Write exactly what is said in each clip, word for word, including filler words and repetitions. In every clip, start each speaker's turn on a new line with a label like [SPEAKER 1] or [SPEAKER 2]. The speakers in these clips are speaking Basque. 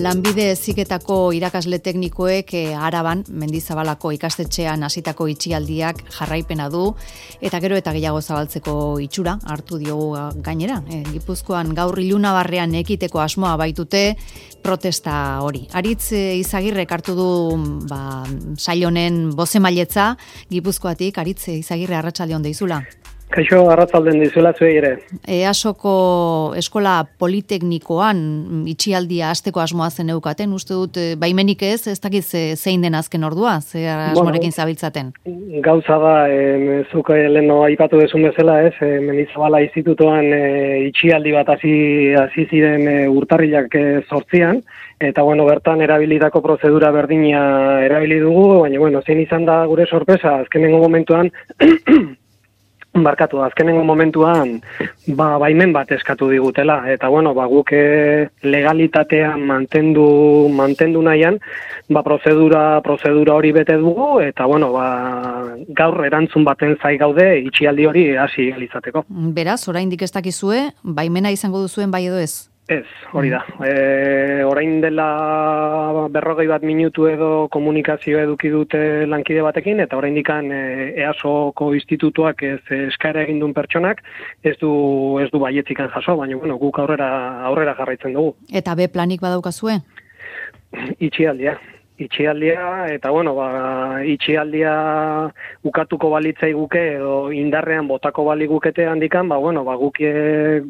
[SPEAKER 1] Lanbide Heziketako irakasle teknikoek eh, Araban, Mendizabalako ikastetxean hasitako itxialdiak jarraipena du, eta gero eta gehiago zabaltzeko itxura hartu diogu gainera. E, Gipuzkoan gaur ilunabarrean ekiteko asmoa baitute protesta hori. Aritz e, Izagirrek hartu du ba, sail honen bozemailetza Gipuzkoatik. Aritz Izagirre, arratsaldeon deizula.
[SPEAKER 2] Kaixo, arratzalden dizuela zuei ere.
[SPEAKER 1] EASoko eskola politeknikoan itxialdia hasteko asmoa zen eukaten, uste dut baimenik ez, ez dakit zein den azken ordua, ze asmorekin zabiltzaten.
[SPEAKER 2] Gauza da, e, zuk leheno aipatu dezun bezala, ez, e, Mendizabala institutoan e, itxialdi bat hasi hasi ziren e, urtarrilak e, zortzian, eta bueno, bertan erabilitako prozedura berdina erabili dugu, baina bueno, zein izan da gure sorpresa, azkenengo momentuan Barkatu, azkenengo momentuan ba, baimen bat eskatu digutela, eta bueno, ba, guk legalitatea mantendu, mantendu nahian, ba, prozedura, prozedura hori bete dugu, eta bueno, ba, gaur erantzun baten zai gaude itxialdi hori hasi izateko.
[SPEAKER 1] Beraz, oraindik ez dakizue, baimena izango duzuen bai edo ez?
[SPEAKER 2] Ez, hori da. E, orain dela berrogei bat minutu edo komunikazio eduki dute lankide batekin, eta orain dikan EASoko institutuak ez eskaera egin duen pertsonak, ez du, ez du baietzikan jaso, baina bueno, guk aurrera, aurrera jarraitzen dugu.
[SPEAKER 1] Eta B planik badaukazue?
[SPEAKER 2] Itxialdia. Itxialdia, eta bueno, ba, itxialdia ukatuko balitzai guke, edo indarrean botako baligukete handikan, ba, bueno, ba, guk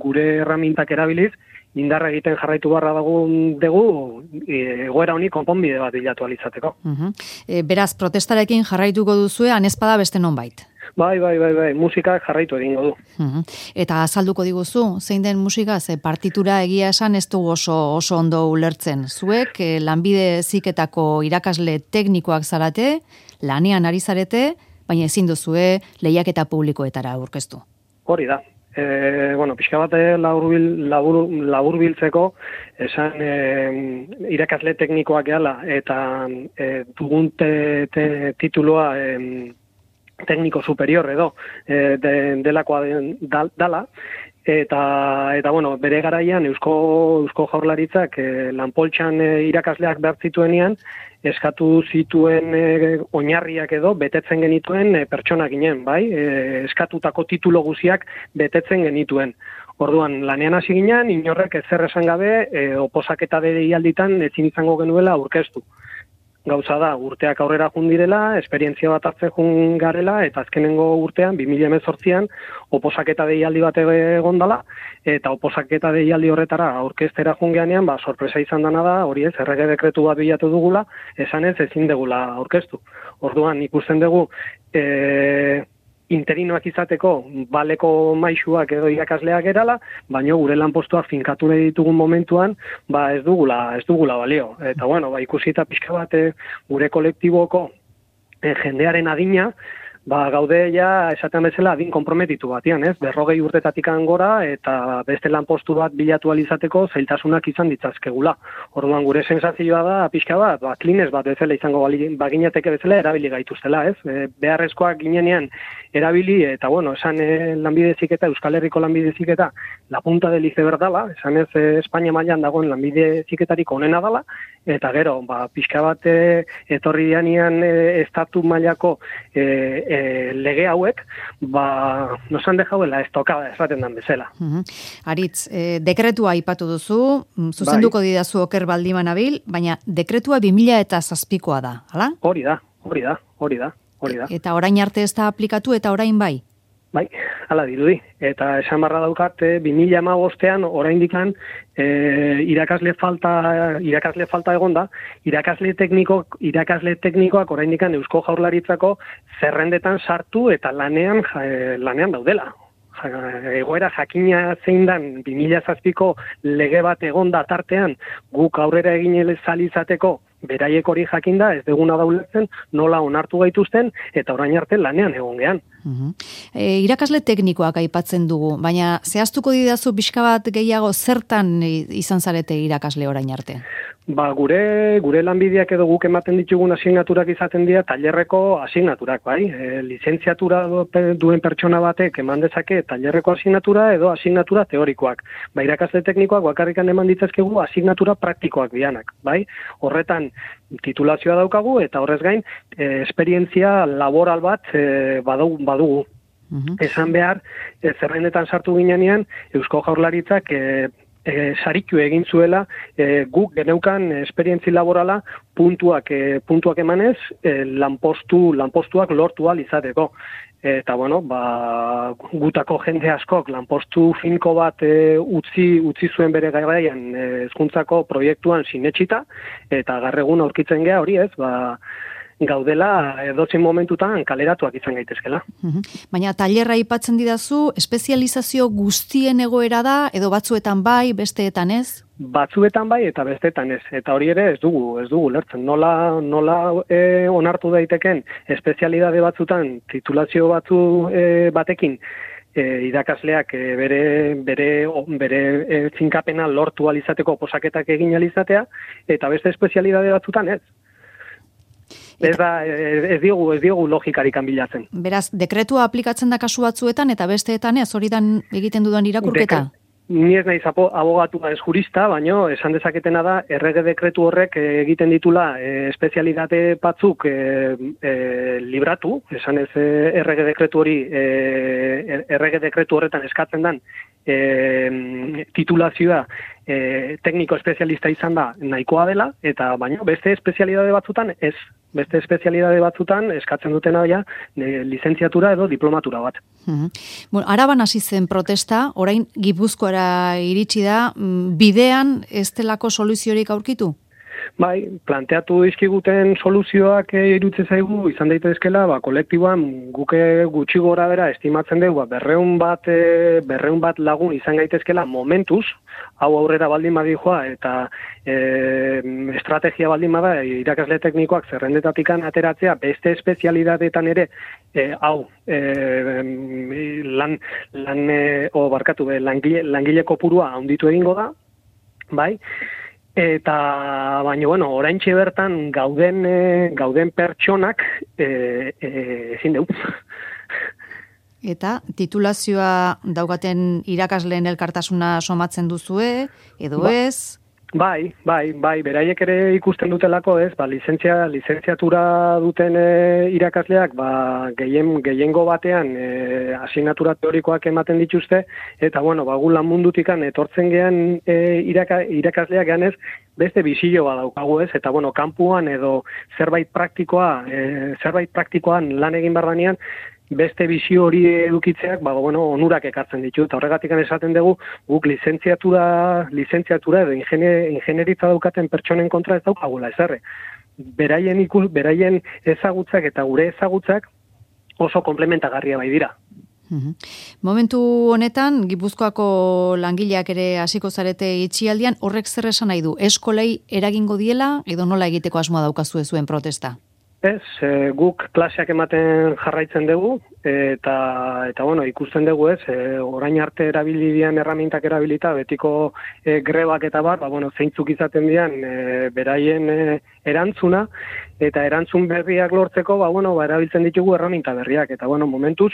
[SPEAKER 2] gure erramintak erabiliz, indarra egiten jarraitu barra dagun dugu, egoera honi konponbide bat bilatu alizateko.
[SPEAKER 1] Uh-huh. E, beraz, protestarekin jarraituko duzue, anespada beste nonbait?
[SPEAKER 2] Bai, bai, bai, bai, musika jarraitu egingo du.
[SPEAKER 1] Uh-huh. Eta azalduko diguzu, zein den musika, ze partitura egia esan ez dugu oso, oso ondo ulertzen. Zuek, eh, Lanbide Heziketako irakasle teknikoak zarate, lanean ari zarete, baina ezin duzue lehiaketa publikoetara aurkeztu.
[SPEAKER 2] Hori da. E, bueno, pixka bat laburbil, labur, laburbiltzeko esan e, irakasle teknikoak gehala eta e, dugun te, te, tituloa e, tekniko superior edo e, de, delakoa de, da, dala eta, eta bueno, bere garaian Eusko, Eusko Jaurlaritzak e, lanpoltxan e, irakasleak behar zituenean eskatu zituen e, oinarriak edo betetzen genituen e, pertsona ginen, bai? E, eskatutako titulo guziak betetzen genituen. Orduan, lanean hasi ginen, inorrek ezer esan gabe, e, oposaketa deialditan ezin izango genuela aurkeztu. Gauza da, urteak aurrera jundirela, esperientzia bat hartzen jun garela, eta azkenengo urtean, bi mila hemezortzian, oposaketa deialdi bat egon dela, eta oposaketa deialdi horretara aurkeztera jungeanean, ba, sorpresa izan dana da, hori ez, errege dekretu bat bilatu dugula, esan ez ezin degula aurkeztu. Orduan, ikusten dugu, e, interinoak izateko baleko maisuak edo irakasleak erala, baina gure lanpostuak finkatu nahi ditugun momentuan, ba ez dugula, ez dugula balio. Eta bueno, ba ikusita pixka bat gure kolektiboko e, jendearen adina, ba gaude ja esaten bezala adin konprometitu batian, ez? Berrogei urtetatik gora eta beste lanpostu bat bilatu alizateko zailtasunak izan ditzazkegula. Orduan gure sensazioa da pixka bat, ba klines bat bezala izango baginateke bezala erabili gaituztela, ez? E, beharrezkoak ginenean erabili eta bueno, esan e, Lanbide Heziketa, Euskal Herriko Lanbide Heziketa, la punta del iceberg dala, esan ez e, Espainia mailan dagoen Lanbide Heziketarik onena dala, eta gero, ba pixka bat e, etorri dianean e, estatu mailako e, e, lege hauek, ba nos han dejado la estocada, esaten dan bezala.
[SPEAKER 1] Uh-huh. Aritz, e, dekretua aipatu duzu, zuzenduko bai. Didazu oker baldiman abil, baina dekretua bi mila zazpikoa da, hala?
[SPEAKER 2] Hori da, hori da, hori da. Hori da.
[SPEAKER 1] Eta orain arte ez da aplikatu eta orain bai?
[SPEAKER 2] Bai, hala dirudi. Eta esan barra daukat, bi mila hamabostean oraindikan e, irakasle falta irakasle falta egonda, irakasle tekniko irakasle teknikoak oraindikan Eusko Jaurlaritzako zerrendetan sartu eta lanean e, lanean daudela. Egoera jakina zein dan bi mila zazpiko lege bat egonda tartean guk aurrera egin zalizateko beraiek hori jakinda, ez deguna dauletzen, nola onartu gaituzten, eta orain arte lanean egon gean.
[SPEAKER 1] Uh-huh. E, irakasle teknikoak aipatzen dugu, baina zehaztuko didazu pixka bat gehiago zertan izan zarete irakasle orain arte?
[SPEAKER 2] Ba, gure gure lanbideak edo guk ematen ditugun asignaturak izaten dira tailerreko asignaturak, bai? E, lizentziatura duen pertsona batek eman dezake tailerreko asignatura edo asignatura teorikoak. Ba, irakasle teknikoak bakarrikan eman ditzazkegu asignatura praktikoak dianak, bai? Horretan titulazioa daukagu eta horrez gain e, esperientzia laboral bat e, badugu. badugu. Uh-huh. Esan behar, e, zerrendetan sartu ginean, Eusko Jaurlaritzak e, E, saritu egin zuela e, guk geneukan esperientzi laborala puntuak e, puntuak emanez e, lanpostu lanpostuak lortu ahal izateko. Eta bueno, ba, gutako jende askok lanpostu finko bat e, utzi utzi zuen bere garaian e, hezkuntzako proiektuan sinetsita eta gaur egun aurkitzen gea hori ez, ba gaudela edozein momentutan kaleratuak izan gaitezkela.
[SPEAKER 1] Uhum. Baina tailerra aipatzen didazu, espezializazio guztien egoera da, edo batzuetan bai, besteetan ez?
[SPEAKER 2] Batzuetan bai eta besteetan ez. Eta hori ere ez dugu, ez dugu lertzen. Nola, nola e, onartu daiteken espezialidade batzutan, titulazio batzu e, batekin, E, irakasleak e, bere bere bere e, finkapena lortu ahal izateko posaketak egin ahal izatea eta beste espezialidade batzutan ez. Ez da, ez diogu, ez diogu logikarikan bilatzen.
[SPEAKER 1] Beraz, dekretua aplikatzen da kasu batzuetan eta besteetan ez, hori dan egiten dudan irakurketa?
[SPEAKER 2] Dekret, ni ez naiz abogatua ez jurista, baino esan dezaketena da, errege dekretu horrek egiten ditula e, espezialitate batzuk e, e, libratu, esan ez e, errege dekretu hori, e, errege dekretu horretan eskatzen dan, e, titulazioa e, tekniko espezialista izan da nahikoa dela, eta baino beste espezialidade batzutan ez. Beste espezialidade batzutan eskatzen dutena ja e, lizentziatura edo diplomatura bat.
[SPEAKER 1] Uh-huh. Bueno, Araban hasi zen protesta, orain Gipuzkoara iritsi da, bidean ez delako soluziorik aurkitu?
[SPEAKER 2] Bai, planteatu dizkiguten soluzioak e, irutze zaigu izan daitezkela, ba kolektiboan guke gutxi gora bera estimatzen dugu, ba berrehun bat e, berrehun bat lagun izan gaitezkela momentuz, hau aurrera baldin badijoa eta e, estrategia baldin bada irakasle teknikoak zerrendetatikan ateratzea beste espezialidadeetan ere e, hau e, lan lan e, o barkatu be langile langile kopurua handitu egingo da, bai? Eta baina bueno, oraintxe bertan gauden e, gauden pertsonak e, e, ezin dugu.
[SPEAKER 1] Eta titulazioa daukaten irakasleen elkartasuna somatzen duzue edo ba, ez?
[SPEAKER 2] Bai, bai, bai, beraiek ere ikusten dutelako, ez? Ba, lizentzia lizentziatura duten e, irakasleak, ba, gehien gehiengo batean e, asignatura teorikoak ematen dituzte eta bueno, ba gu lan mundutikan etortzen gean e, iraka, irakasleak ganez beste bisio badaukagu, ez? Eta bueno, kanpuan edo zerbait praktikoa, e, zerbait praktikoan lan egin barranean beste bizio hori edukitzeak, ba, bueno, onurak ekartzen ditu, eta horregatik esaten dugu, guk lizentziatura, lizentziatura edo ingenieritza daukaten pertsonen kontra ez daukagula, ezarre. Beraien, ikus, beraien ezagutzak eta gure ezagutzak oso komplementagarria bai dira.
[SPEAKER 1] Uhum. Momentu honetan, Gipuzkoako langileak ere hasiko zarete itxialdian, horrek zer esan nahi du? Eskolei eragingo diela, edo nola egiteko asmoa daukazue zuen protesta?
[SPEAKER 2] Ez, e, guk klaseak ematen jarraitzen dugu, eta, eta bueno, ikusten dugu ez, e, orain arte erabili dian erramintak erabilita, betiko e, grebak eta bar, ba, bueno, zeintzuk izaten dian e, beraien e, erantzuna, eta erantzun berriak lortzeko, ba, bueno, ba, erabiltzen ditugu erraminta berriak, eta bueno, momentuz,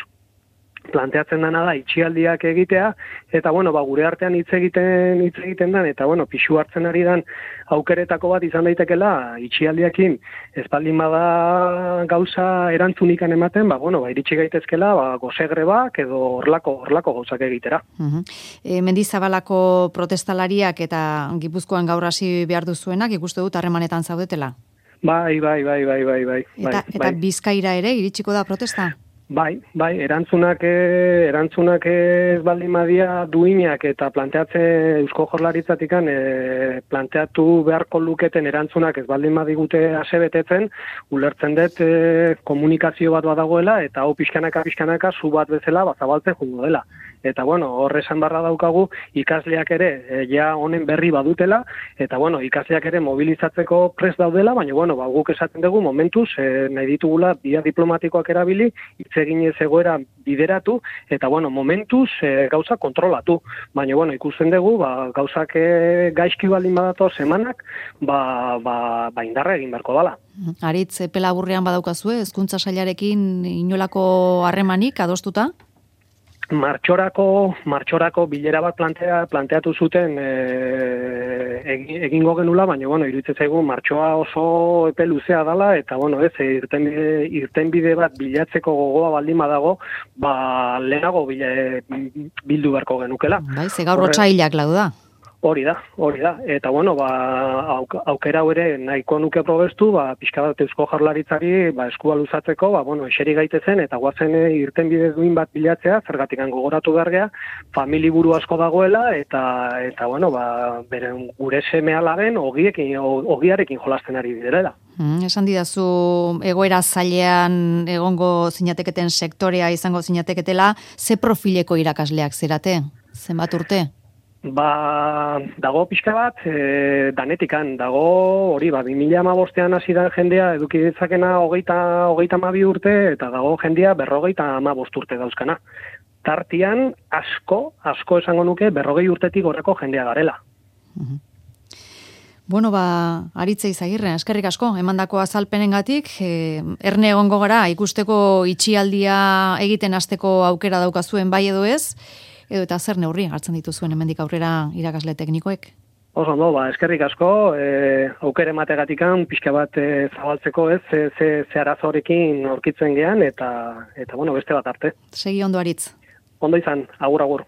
[SPEAKER 2] planteatzen dana da itxialdiak egitea, eta bueno, ba, gure artean hitz egiten hitz egiten dan, eta bueno, pixu hartzen ari dan aukeretako bat izan daitekela itxialdiakin, ez baldin bada gauza erantzunikan ematen, ba, bueno, ba, iritsi gaitezkela, ba, gozegrebak edo horlako, horlako gauzak egitera.
[SPEAKER 1] Uh-huh. E, Mendizabalako protestalariak eta Gipuzkoan gaur hasi behar duzuenak, ikuste dut harremanetan zaudetela?
[SPEAKER 2] Bai, bai, bai, bai, bai, bai.
[SPEAKER 1] Eta,
[SPEAKER 2] bai,
[SPEAKER 1] eta
[SPEAKER 2] bai.
[SPEAKER 1] Bizkaira ere iritsiko da protesta?
[SPEAKER 2] Bai, bai, erantzunak, erantzunak ez baldin badia duinak eta planteatzen Eusko Jaurlaritzatikan e, planteatu beharko luketen erantzunak ez baldin badigute asebetetzen, ulertzen dut e, komunikazio bat badagoela eta hau pixkanaka pixkanaka zu bat bezala bazabaltzen jungo dela. eta bueno, hor esan barra daukagu ikasleak ere e, ja honen berri badutela, eta bueno, ikasleak ere mobilizatzeko prest daudela, baina bueno, ba, guk esaten dugu momentuz, e, nahi ditugula bia diplomatikoak erabili, hitz eginez egoera bideratu, eta bueno, momentuz e, gauza kontrolatu, baina bueno, ikusten dugu, ba, gauzak e, gaizki baldin badato semanak, ba, ba, ba indarra egin beharko dala.
[SPEAKER 1] Aritz, epe laburrean badaukazue, hezkuntza sailarekin inolako harremanik adostuta?
[SPEAKER 2] Martxorako, martxorako bilera bat plantea, planteatu zuten e, egingo genula, baina, bueno, iruditzen zaigu martxoa oso epe luzea dala, eta, bueno, ez, irtenbide, irtenbide bat bilatzeko gogoa baldin badago, ba, lehenago bila, bildu beharko genukela.
[SPEAKER 1] Bai, ze gaur otsailak lau da.
[SPEAKER 2] Hori da, hori da. Eta, bueno, ba, aukera ere nahiko nuke probestu, ba, pixka bat Eusko Jaurlaritzari ba, eskua luzatzeko, ba, bueno, eseri gaitezen, eta guazen irtenbide duin bat bilatzea, zergatik gogoratu bergea, famili buru asko dagoela, eta, eta bueno, ba, beren gure seme alaben, ogiekin, ogiarekin jolasten ari direla.
[SPEAKER 1] Mm, esan didazu, egoera zailean egongo zinateketen sektorea izango zinateketela, ze profileko irakasleak zerate? Zenbat urte?
[SPEAKER 2] Ba, dago pixka bat, e, danetikan, dago hori, ba, bi mila hamabostean hasi da jendea eduki ditzakena hogeita, hogeita hamabi urte, eta dago jendea berrogeita hamabost urte dauzkana. Tartian, asko, asko esango nuke, berrogei urtetik gorako jendea garela.
[SPEAKER 1] Uh-huh. Bueno, ba, Aritze Izagirre, eskerrik asko, emandako azalpenengatik, e, erne egongo gara, ikusteko itxialdia egiten hasteko aukera daukazuen bai edo ez, edo eta zer neurri hartzen dituzuen hemendik aurrera irakasle teknikoek?
[SPEAKER 2] Oso ondo, ba, eskerrik asko, e, aukere mategatikan, pixka bat e, zabaltzeko ez, ze, ze, ze arazorekin aurkitzen gean, eta, eta bueno, beste bat arte.
[SPEAKER 1] Segi ondo, Aritz.
[SPEAKER 2] Ondo izan, agur, agur.